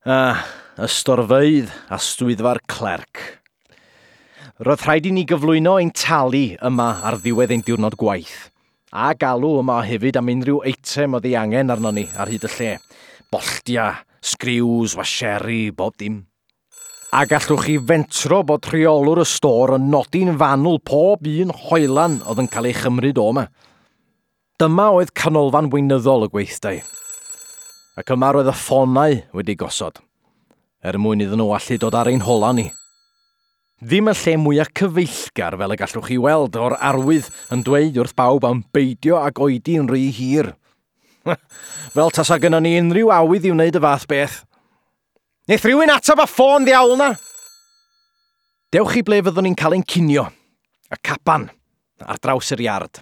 Ah, y storfeydd a swyddfa'r clerc. Roedd rhaid i ni gyflwyno ein talu yma ar ddiwedd ein diwrnod gwaith, a galw yma hefyd am unrhyw eitem oedd ei angen arnon ni ar hyd y lle. Bolltia, sgriws, washeri, bob dim. A gallwch chi fentro bod rheolwr y stôr yn nodi'n fanwl pob un hoelan oedd yn cael ei chymryd o yma. Dyma oedd canolfan weinyddol y gweithdai. Ac yma roedd y ffonau wedi gosod, er mwyn iddyn nhw allu dod ar ein hola ni. Ddim y lle mwyaf cyfeillgar fel y gallwch chi weld o'r arwydd yn dweud wrth bawb am beidio ag oedi'n rhy hir. Fel tasa gynnon ni unrhyw awydd i wneud y fath beth. Neith rhywun atab y ffôn ddiawl na? Dewch i ble fyddwn ni'n cael ein cinio. Y caban, ar draws yr iard.